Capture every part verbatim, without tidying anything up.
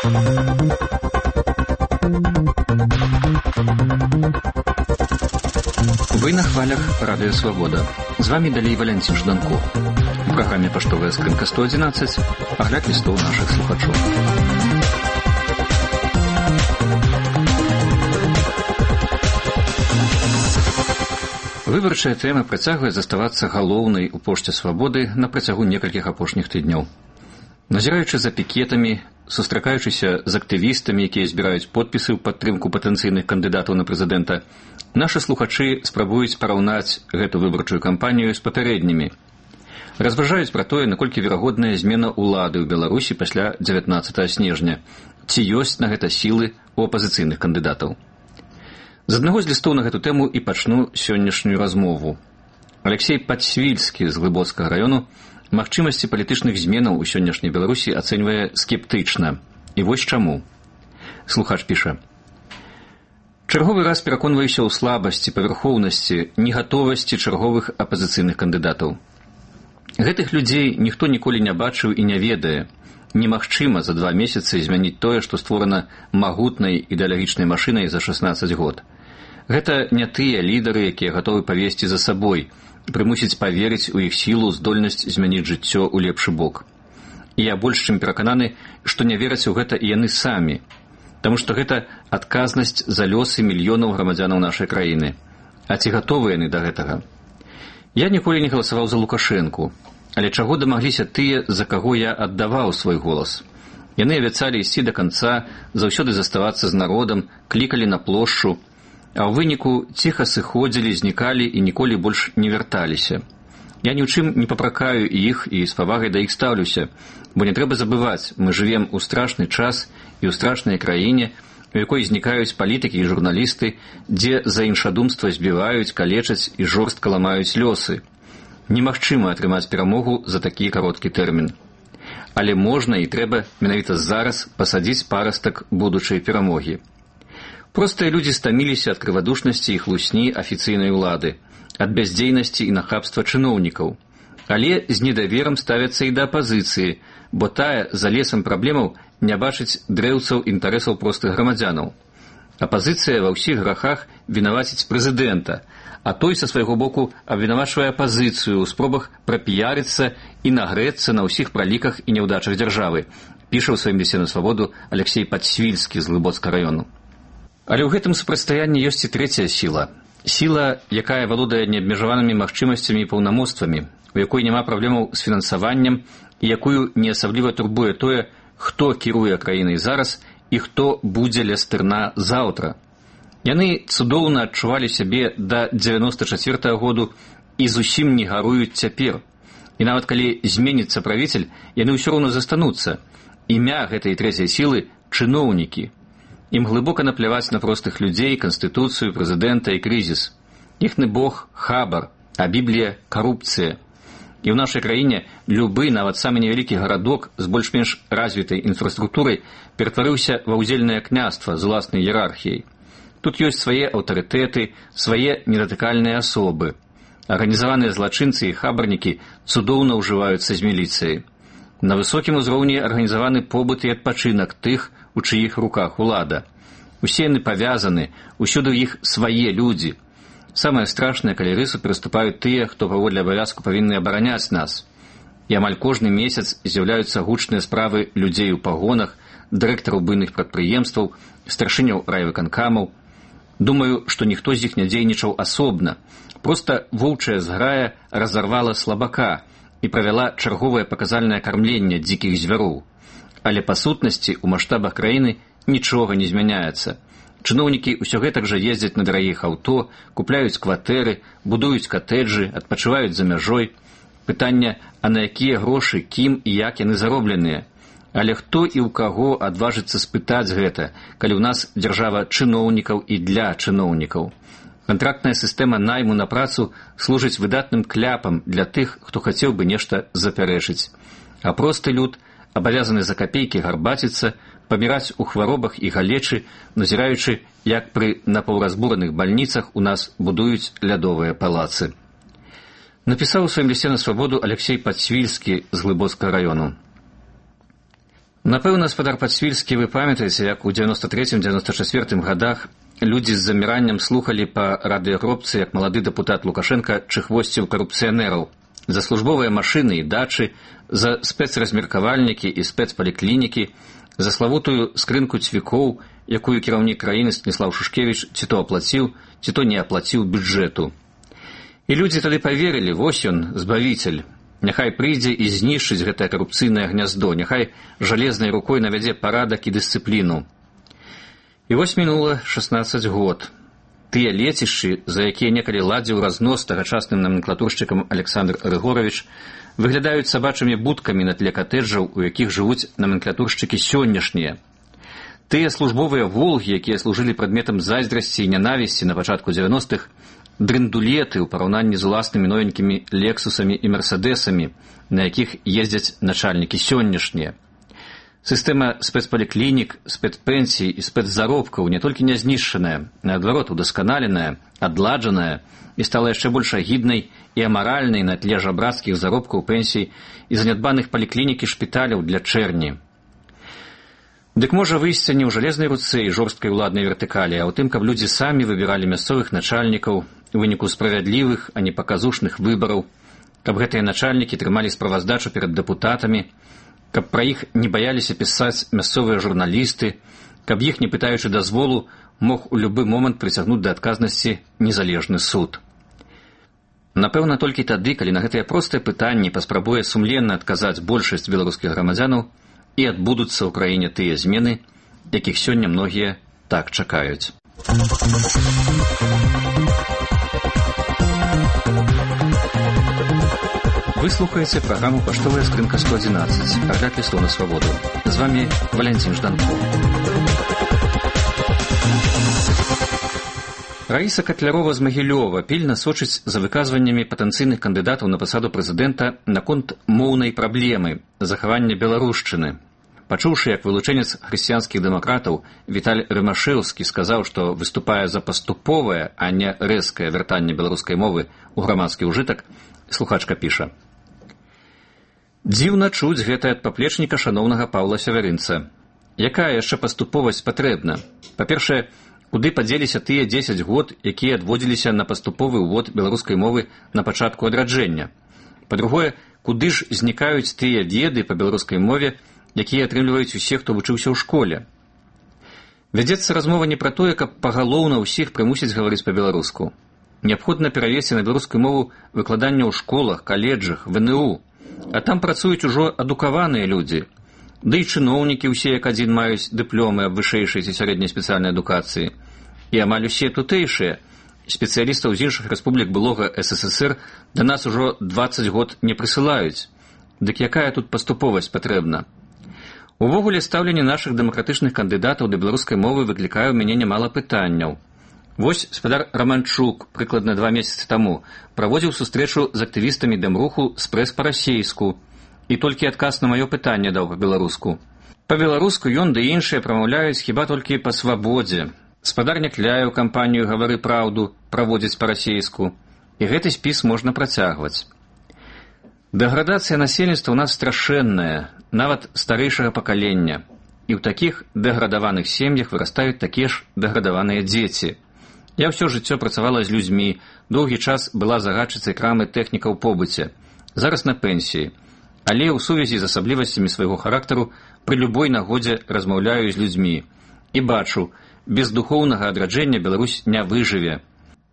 Вы на хвалях Радио Свобода. З вами далей Валентин Жданко. У праграме «Паштовая скрынка сто одиннадцать» агляд лістоў нашых слухачоў. Выбарчая тэма працягвае заставацца галоўнай у пошце свабоды на працягу некалькіх апошніх тыдняў. Назіраючы за пікетамі, сустракаючыся з актывістамі, якія збіраюць подпісы ў падтрымку патэнцыйных кандыдатаў на прэзідэнта, нашы слухачы спрабуюць параўнаць гэту выбарчую кампанію з папярэднімі. Разважаюць пра тое, наколькі верагодная змена ўлады ў Беларусі пасля дзевятнаццатага снежня, ці ёсць на гэта сілы ў апазіцыйных кандыдатаў. З аднаго з лістоў на гэту тэму і пачну сённяшнюю размову. Алексей Падсвільскі з Глыбоцкага раёну магчымасці палітычных зменаў у сённяшняй Беларусі ацэньвае скептычна. І вось чаму. Слухач піша: чарговы раз пераконваюся ў слабасці, павярхоўнасці, негатовасці чарговых апазіцыйных кандыдатаў. Гэтых людзей ніхто ніколі не бачыў і не ведае. Немагчыма за два месяцы змяніць тое, што створана магутнай ідэалагічнай машынай за шаснаццаць год. Гэта не тыя лідары, якія гатовы павесці за сабой, прымусіць паверыць у іх сілу, здольнасць змяніць жыццё ў лепшы бок. І я больш чым перакананы, што не вераць у гэта і яны самі, таму што гэта адказнасць за лёсы мільёнаў грамадзянаў нашай краіны. А ці гатовы яны да гэтага? Я ніколі не галасаваў за Лукашэнку, але чаго дамагліся тыя, за каго я аддаваў свой голас? Яны абяцалі ісці да канца, заўсёды заставацца з народам, клікалі на плошчу, а ў выніку ціха сыходзілі, знікалі і ніколі больш не вярталіся. Я ні ў чым не папракаю іх і з павагай да іх стаўлюся, бо не трэба забываць, мы жывем у страшны час і ў страшнай краіне, у якой знікаюць палітыкі і журналісты, дзе за іншадумства збіваюць, калечаць і жорстка ламаюць лёсы. Немагчыма атрымаць перамогу за такі кароткі тэрмін. Але можна і трэба менавіта зараз пасадзіць парастак будучай перамогі. Простыя людзі стаміліся ад крывадушнасці і хлусні афіцыйнай улады, ад бяздзейнасці і нахабства чыноўнікаў. Але з недаверам ставяцца і да апазіцыі, бо тая за лесам праблемаў не бачыць дрэўцаў інтарэсаў простых грамадзянаў. Апазіцыя ва ўсіх грахах вінаваціць прэзідэнта, а той са свайго боку абвінавачвае апазіцыю ў спробах прапіярыцца і нагрэцца на ўсіх праліках і няўдачах дзяржавы, піша ў сваім лісце на свабоду Алексей Падсвільскі з Глыбоцкага раёну. Але ў гэтым супрацьстаянні ёсць і трэцяя сіла. Сіла, якая валодае неабмежаванымі магчымасцямі і паўнамоцтвамі, у якой няма праблемаў з фінансаваннем і якую не асабліва турбуе тое, хто кіруе краінай зараз і хто будзе ля стырна заўтра. Яны цудоўна адчувалі сябе да дзевяноста чацвёртага году і зусім не гаруюць цяпер. І нават калі зменіцца правіцель, яны ўсё роўна застануцца. Імя гэтай трэцяй сілы – чыноўнікі. Ім глыбока напляваць на простых людзей, канстытуцыю, прэзідэнта і крызіс. Іхны бог – хабар, а Біблія – карупцыя. І ў нашай краіне любы, нават самы невялікі гарадок з больш-менш развітай інфраструктурай ператварыўся ва ўздзельнае княства з уласнай іерархіяй. Тут ёсць свае аўтарытэты, свае недатыкальныя асобы. Арганізаваныя злачынцы і хабарнікі цудоўна ўжываюцца з міліцыяй. На высокім узроўні арганізаваны побыт і адпачынак тых, у чыіх руках улада. Усе яны павязаны, усюды ў іх свае людзі. Самае страшнае, калі рысу пераступаюць тыя, хто паводле абавязку павінны абараняць нас. І амаль кожны месяц з'яўляюцца гучныя справы людзей у пагонах, дырэктараў буйных прадпрыемстваў, старшыняў райвыканкамаў. Думаю, што ніхто з іх не дзейнічаў асобна. Проста воўчая зграя разарвала слабака і правяла чарговае паказальнае кармленне дзікіх звяроў. Але па сутнасці ў маштабах краіны нічога не змяняецца. Чыноўнікі ўсё гэтак жа ездзяць на дарагіх аўто, купляюць кватэры, будуюць катэджы, адпачываюць за мяжой. Пытанне, а на якія грошы, кім і як яны заробленыя? Але хто і ў каго адважыцца спытаць гэта, калі ў нас дзяржава чыноўнікаў і для чыноўнікаў? Кантрактная сістэма найму на працу служыць выдатным кляпам для тых, хто хацеў бы нешта запярэчыць. А просты люд абавязаны за капейкі гарбаціцца, паміраць у хваробах і галечы, назіраючы, як пры напаўразбураных бальніцах у нас будуюць лядовыя палацы. Напісаў у сваім лісце на свабоду Алексей Падсвільскі з Глыбоцкага раёну. Напэўна, спадар Падсвільскі, вы памятаеце, як у дзевяноста трэцім дзевяноста чацвёртым гадах людзі з заміраннем слухалі па радыёгробцы, як малады дэпутат Лукашенка чыхвосціў карупцыянераў за службовыя машыны і дачы, за спецразмеркавальнікі і спецпаліклінікі, за славутую скрынку цвікоў, якую кіраўнік краіны Станіслав Шушкевіч ці то аплаціў, ці то не аплаціў бюджэту. І людзі тады паверылі, вось ён, збавіцель. Няхай прыйдзе і знішчыць гэтае карупцыйнае гняздо, няхай жалезнай рукой навядзе парадак і дысцыпліну. І вось мінула шаснаццаць год. Тыя лецішчы, за якія некалі ладзіў разнос тагачасным наменклатуршчыкам Александр Рыгорович, выглядаюць сабачымі будкамі на тле катэджаў, у якіх жывуць наменклатуршчыкі сённяшнія. Тыя службовыя волгі, якія служылі прадметам зайздрасці і нянавісці на пачатку дзевяностых, дрындулеты ў параўнанні з уласнымі новенькімі лексусамі і мерседесамі, на якіх ездзяць начальнікі сённяшнія. Сістэма спецпаліклінік, спецпенсій і спецзаробкаў не толькі не знішчаная, наадварот, удасканаленая, адладжаная і стала яшчэ больш агіднай і амаральнай на тле жабрацкіх заробкаў пенсій і занядбаных паліклінік і шпіталяў для чэрні. Дык можа выйсце не ў жалезнай руцэ і жорсткай уладнай вертыкалі, а ў тым, каб людзі самі выбіралі мясцовых начальнікаў у выніку справядлівых, а не паказушных выбараў, каб гэтыя начальнікі трымалі справаздачу перад дэпутатамі, каб пра іх не баяліся пісаць мясцовыя журналісты, каб іх, не пытаючы дазволу, мог у любы момант прыцягнуць да адказнасці незалежны суд. Напэўна, толькі тады, калі на гэтыя простыя пытанні паспрабуе сумленна адказаць большасць беларускіх грамадзянаў, і адбудуцца ў краіне тыя змены, якіх сёння многія так чакаюць. Вы слухаеце праграму «Паштовая скрынка сто адзінаццаць», агляд лістоў на свабоду. З вами Валянцін Жданков. Раіса Катлярова з Магілёва пільна сочыць за выказваннямі патэнцыйных кандыдатаў на пасаду прэзідэнта наконт моўнай праблемы захавання беларушчыны. Пачуўшы, як вылучэнец хрысціянскіх дэмакратаў Віталь Рымашэўскі сказаў, што выступае за паступовае, а не рэзкае вяртанне беларускай мовы ў грамадскі ўжытак, слухачка піша: «Дзіўна чуць гэта ад паплечніка шаноўнага Паўла Сявярынца. Якая яшчэ паступовасць патрэбна? Па-першае, куды падзеліся тыя дзесяць год, якія адводзіліся на паступовы ўвод беларускай мовы на пачатку адраджэння? Па-другое, куды ж знікаюць тыя веды па беларускай мове, якія атрымліваюць усе, хто вучыўся ў школе? Вядзецца размова не пра тое, каб пагалоўна ўсіх прымусіць гаварыць па-беларуску. Неабходна перавесці на беларускую мову выкладанне ў школах, каледжах, вэ эн у. А там працуюць ужо адукаваныя людзі. Ды і чыноўнікі ўсе як адзін маюць дыпломы аб вышэйшай ці сярэдняй спецыяльнай адукацыі. І амаль усе тутэйшыя спецыялістаў з іншых рэспублік былога эс эс эс эр да нас ужо дваццаць год не прысылаюць. Дык якая тут паступовасць патрэбна? Увогуле, стаўленне нашых дэмакратычных кандыдатаў да беларускай мовы выклікае ў мяне нямала пытанняў. Вось спадар Раманчук прыкладна два месяцы таму праводзіў сустрэчу з актывістамі дэмруху спрэс па-расейску і толькі адказ на маё пытанне даў па-беларуску. Па-беларуску ён ды іншыя прамаўляюць хіба толькі па свабодзе. Спадар Някляеў кампанію «Гавары праўду» праводзіць па-расейску. І гэты спіс можна працягваць. Дэградацыя насельніцтва ў нас страшэнная, нават старэйшага пакалення. І ў такіх дэградаваных сем'ях вырастаюць такія ж дэградаваныя дзеці. Я ўсё жыццё працавала з людзьмі, доўгі час была загадчыцай крамы тэхніка ў побыце. Зараз на пенсіі. Але ў сувязі з асаблівасцямі свайго характару пры любой нагодзе размаўляю з людзьмі. І бачу, без духоўнага адраджэння Беларусь не выжыве.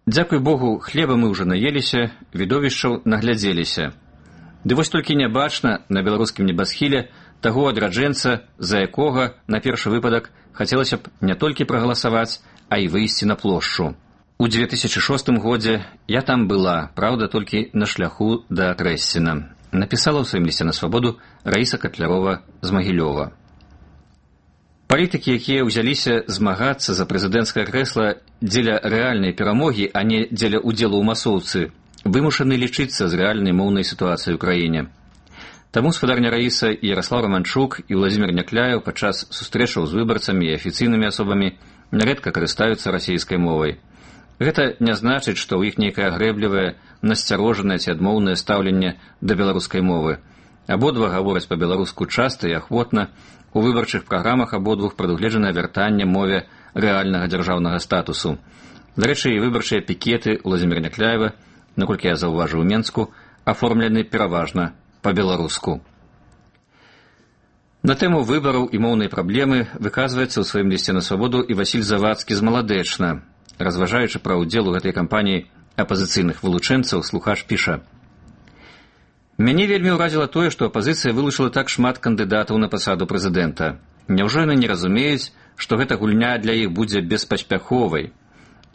Дзякуй Богу, хлеба мы ўжо наеліся, відовішчаў наглядзеліся. Ды вось толькі не бачна на беларускім небасхіле таго адраджэнца, за якога, на першы выпадак, хацелася б не толькі прагаласаваць, а і выйсці на плошчу. У дзве тысячы шостым годзе я там была, праўда, толькі на шляху да Трэсціна. Напісала ў сваім лісце на свабоду Раіса Катлярова з Магілёва. Палітыкі, якія ўзяліся змагацца за прэзідэнцкае крэсла дзеля рэальнай перамогі, а не дзеля ўдзелу ў масоўцы, вымушаны лічыцца з рэальнай моўнай сітуацыяй у краіне. Таму спадарня Раіса і Яраслаў Раманчук і Владзімір Някляеў падчас сустрэчаў з выбарцамі і афіцыйнымі асобамі нярэдка карыстаюцца расійскай мовай. Гэта не значыць, што ў іх нейкае грэблівае, насцярожанае ці адмоўнае стаўленне да беларускай мовы. Абодва гавораць па-беларуску часта і ахвотна. У выбарчых праграмах абодвух прадугледжана вяртанне мове рэальнага дзяржаўнага статусу. Дарэчы, і выбарчыя пікеты Владзіміра Някляева, наколькі я заўважыў у Менску, аформлены пераважна па-беларуску. На тэму выбараў і моўнай праблемы выказваецца ў сваім лісце на свабоду і Васіль Завадскі з Маладэчна. Разважаючы пра ўдзел у гэтай кампаніі апазіцыйных вылучэнцаў, слухач піша: «Мяне вельмі ўразіла тое, што апазіцыя вылучыла так шмат кандыдатаў на пасаду прэзідэнта. Няўжо яны не разумеюць, што гэта гульня для іх будзе беспаспяховай?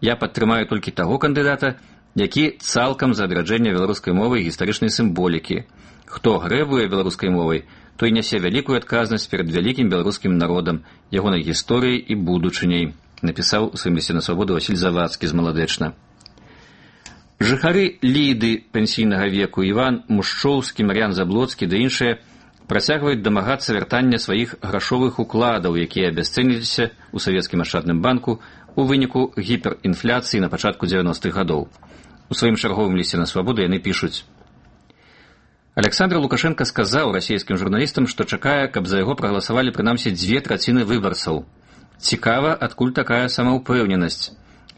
Я падтрымаю толькі таго кандыдата, які цалкам за адраджэнне беларускай мовы і гістарычнай сімволікі. Хто грэбуе беларускай мовай, той нясе вялікую адказнасць перад вялікім беларускім народам, ягонай гісторыяй і будучыняй», напісаў у сваім лісце на свабоду Васіль Завадскі з Маладэчна. Жыхары Ліды пенсійнага веку Іван Мушчоўскі, Мар'ян Заблоцкі ды іншыя працягваюць дамагацца вяртання сваіх грашовых укладаў, якія абясцэніліся ў савецкім ашчадным банку у выніку гіперінфляцыі на пачатку дзевяностых гадоў. У сваім чарговым лісце на свабоду яны пішуць: «Александр Лукашенко сказаў расійскім журналістам, што чакае, каб за яго прагаласавалі прынамсі дзве траціны выбарцаў. Цікава, адкуль такая самаўпэўненасць.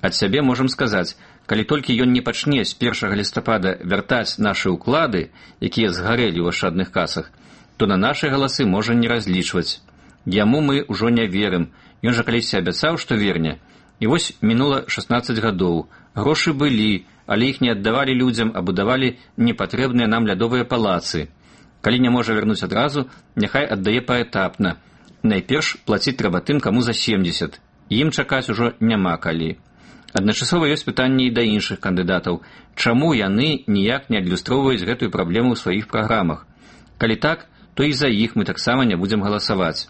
Ад сябе можам сказаць, калі толькі ён не пачне з першага лістапада вяртаць нашы ўклады, якія згарэлі ў ашчадных касах, то на нашы галасы можа не разлічваць. Яму мы ўжо не верым, ён жа калісьці абяцаў, што верне. І вось мінула шаснаццаць гадоў, грошы былі, але іх не аддавалі людзям, а будавалі непатрэбныя нам лядовыя палацы. Калі не можа вярнуць адразу, няхай аддае паэтапна. Найперш плаціць трэба тым, каму за семдзесят. Ім чакаць ужо няма калі. Адначасова ёсць пытанні і да іншых кандыдатаў. Чаму яны ніяк не адлюстроўваюць гэтую праблему ў сваіх праграмах? Калі так, то і за іх мы таксама не будзем галасаваць.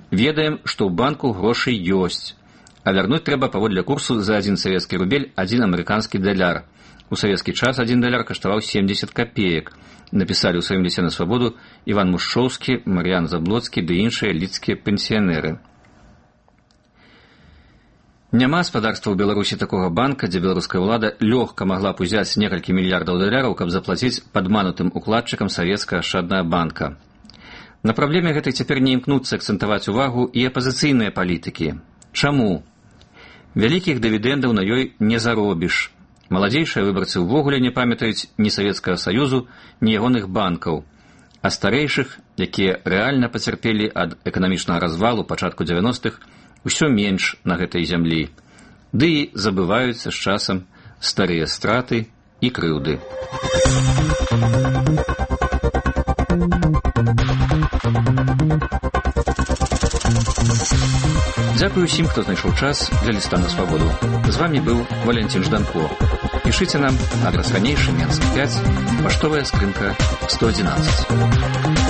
Ведаем, што ў банку грошы ёсць. А вярнуць трэба паводле курсу за адзін савецкі рубель адзін амерыканскі даляр. У савецкі час адзін даляр каштаваў семдзесят капеек. Напісалі ў сваім лісце на свабоду Іван Мушчоўскі, Мар'ян Заблоцкі ды іншыя лідскія пенсіянеры. Няма спадарства ў Беларусі такога банка, дзе беларуская ўлада лёгка магла б узяць некалькі мільярдаў даляраў, каб заплаціць падманутым укладчыкам савецкага ашчаднага банка. На праблеме гэтай цяпер не імкнуцца акцэнтаваць увагу і апазіцыйныя палітыкі. Чаму? Вялікіх дывідэндаў на ёй не заробіш. Маладзейшыя выбарцы ўвогуле не памятаюць ні Савецкага Саюзу, ні ягоных банкаў. А старэйшых, якія рэальна пацярпелі ад эканамічнага развалу пачатку дзевяностых, усё менш на гэтай зямлі. Ды і забываюцца з часам старыя страты і крыўды. Дзякую ўсім, хто знайшоў час для ліста на свабоду. З вамі быў Валентин Жданко. Пішыце нам, адрас ранейшы, Менск пяць, паштовая скрынка сто адзінаццаць.